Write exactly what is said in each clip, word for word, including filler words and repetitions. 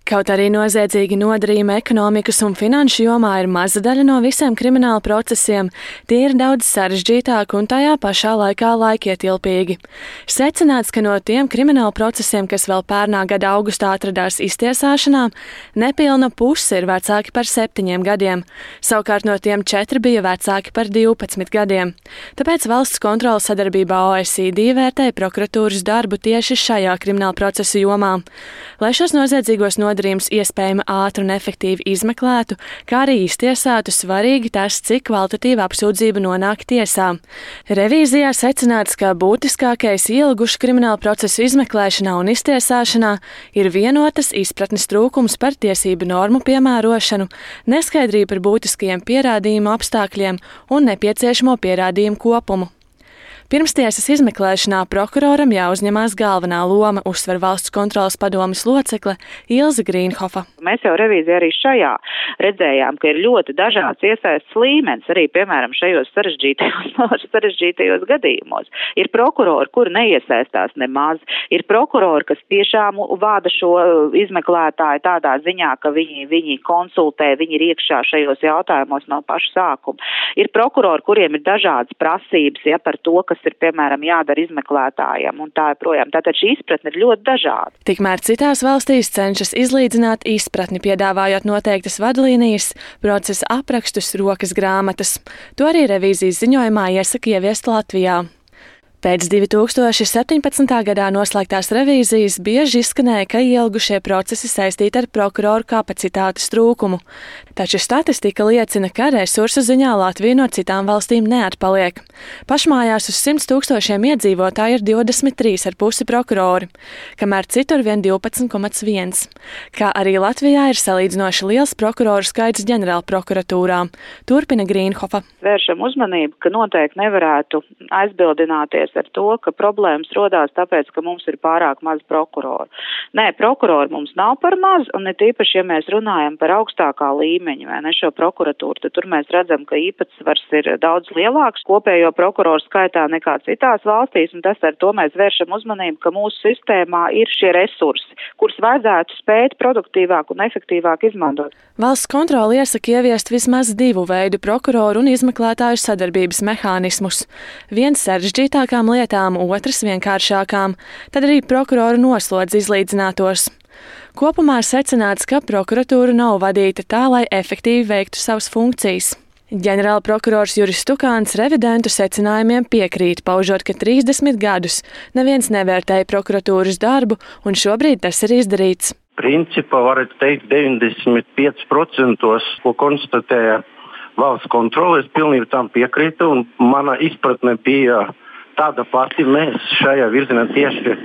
Kaut arī noziedzīgi nodarījumi ekonomikas un finanšu jomā ir maza daļa no visiem krimināla procesiem, tie ir daudz sarežģītāki un tajā pašā laikā laikietilpīgi. Secināts, ka no tiem krimināla procesiem, kas vēl pērnā gada augustā atradās iztiesāšanā, nepilna puse ir vecāki par septiņiem gadiem. Savukārt no tiem četri bija vecāki par divpadsmit gadiem. Tāpēc valsts kontroles sadarbībā O E C D vērtēja prokuratūras darbu tieši šajā krimināla procesa jomā. Lai šos noziedzīgos nodarījumus iespējami ātri un efektīvi izmeklētu, kā arī iztiesātu, svarīgi tas, cik kvalitatīva apsūdzība nonāk tiesā. Revīzijā secināts, ka būtiskākais ielgušu krimināla procesu izmeklēšanā un iztiesāšanā ir vienotas izpratnes trūkums par tiesību normu piemērošanu, neskaidrība par būtiskajiem pierādījumu apstākļiem un nepieciešamo pierādījumu kopumu. Pirmstiesas izmeklēšanā prokuroram jāuzņemās galvenā loma, uzsver valsts kontroles padomes locekle Ilze Grīnhofa. Mēs jau revīzijā arī šajā redzējām, ka ir ļoti dažāds iesaistes līmenis, arī, piemēram, šajos sarežģītajos, sarežģītajos gadījumos. Ir prokurori, kuri neiesaistās nemaz, ir prokurori, kas tiešām vada šo izmeklētāju tādā ziņā, ka viņi, viņi konsultē, viņi ir iekšā šajos jautājumos no paša sākuma. Ir prokurori, kuriem ir dažādas prasības, ja, par to, kas ir, piemēram, jādara izmeklētājiem un tā joprojām. Tātad šī izpratne ir ļoti dažāda. Tikmēr citās valstīs cenšas izlīdzināt izpratni, piedāvājot noteiktas vadlīnijas, procesa aprakstus, rokas grāmatas. To arī revīzijas ziņojumā iesaka ieviest Latvijā. Pēc divi tūkstoši septiņpadsmitā gadā noslēgtās revīzijas bieži izskanēja, ka ielgušie procesi saistīti ar prokuroru kapacitātes trūkumu. Taču statistika liecina, ka resursu ziņā Latvija no citām valstīm neatpaliek. Pašmājās uz simts tūkstošiem iedzīvotāji ir divdesmit trīs ar pusi prokurori, kamēr citur vien divpadsmit komats viens. Kā arī Latvijā ir salīdzinoši liels prokuroru skaits ģenerālprokuratūrā, turpina Grīnhofa. Vēršam uzmanību, ka noteikti nevarētu aizbildināties ar to, ka problēmas rodās tāpēc, ka mums ir pārāk maz prokuroru. Nē, prokuroru mums nav par maz, un ne tīpaši, ja mēs runājam par augstākā līmeņa, vai ne, šo prokuratūru, tad tur mēs redzam, ka īpatsvars ir daudz lielāks kopējo prokuroru skaitā nekā citās valstīs, un tas ar to mēs vēršam uzmanību, ka mūsu sistēmā ir šie resursi, kurus vajadzētu spēt produktīvāk un efektīvāk izmantot. Valsts kontrole iesaka ieviest vismaz divu veidu prokuroru un izmeklētāju sadarbības mehānismus. Viens sarežģītākām lietām, otrs vienkāršākām, tad arī prokuroru noslodzi izlīdzinātos. Kopumā secināts, ka prokuratūra nav vadīta tā, lai efektīvi veiktu savas funkcijas. Ģenerālprokurors Juris Stukāns revidentu secinājumiem piekrīt, paužot, ka trīsdesmit gadus neviens nevērtēja prokuratūras darbu, un šobrīd tas ir izdarīts. Principā varētu teikt deviņdesmit pieci procenti, ko konstatēja valsts kontrole, es pilnīgi tam piekrītu, un mana izpratne bija tāda pati, mēs šajā virzienā tieši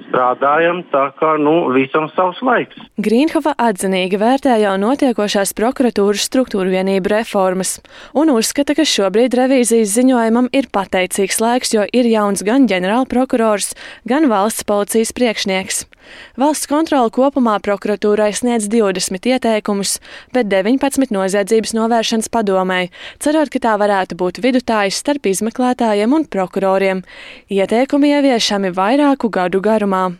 strādājam, tā kā, nu, visam savs laiks. Grīnhofa atzinīgi vērtē jau notiekošās prokuratūras struktūru vienību reformas un uzskata, ka šobrīd revīzijas ziņojumam ir pateicīgs laiks, jo ir jauns gan ģenerālprokurors, gan valsts policijas priekšnieks. Valsts kontrole kopumā prokuratūrai sniedz divdesmit ieteikumus, bet deviņpadsmit noziedzības novēršanas padomei, cerot, ka tā varētu būt vidutājs starp izmeklētājiem un prokuroriem. Ieteikumi ieviešami vairāku gadu garumā.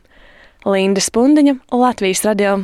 Linda Spundiņa, Latvijas radio.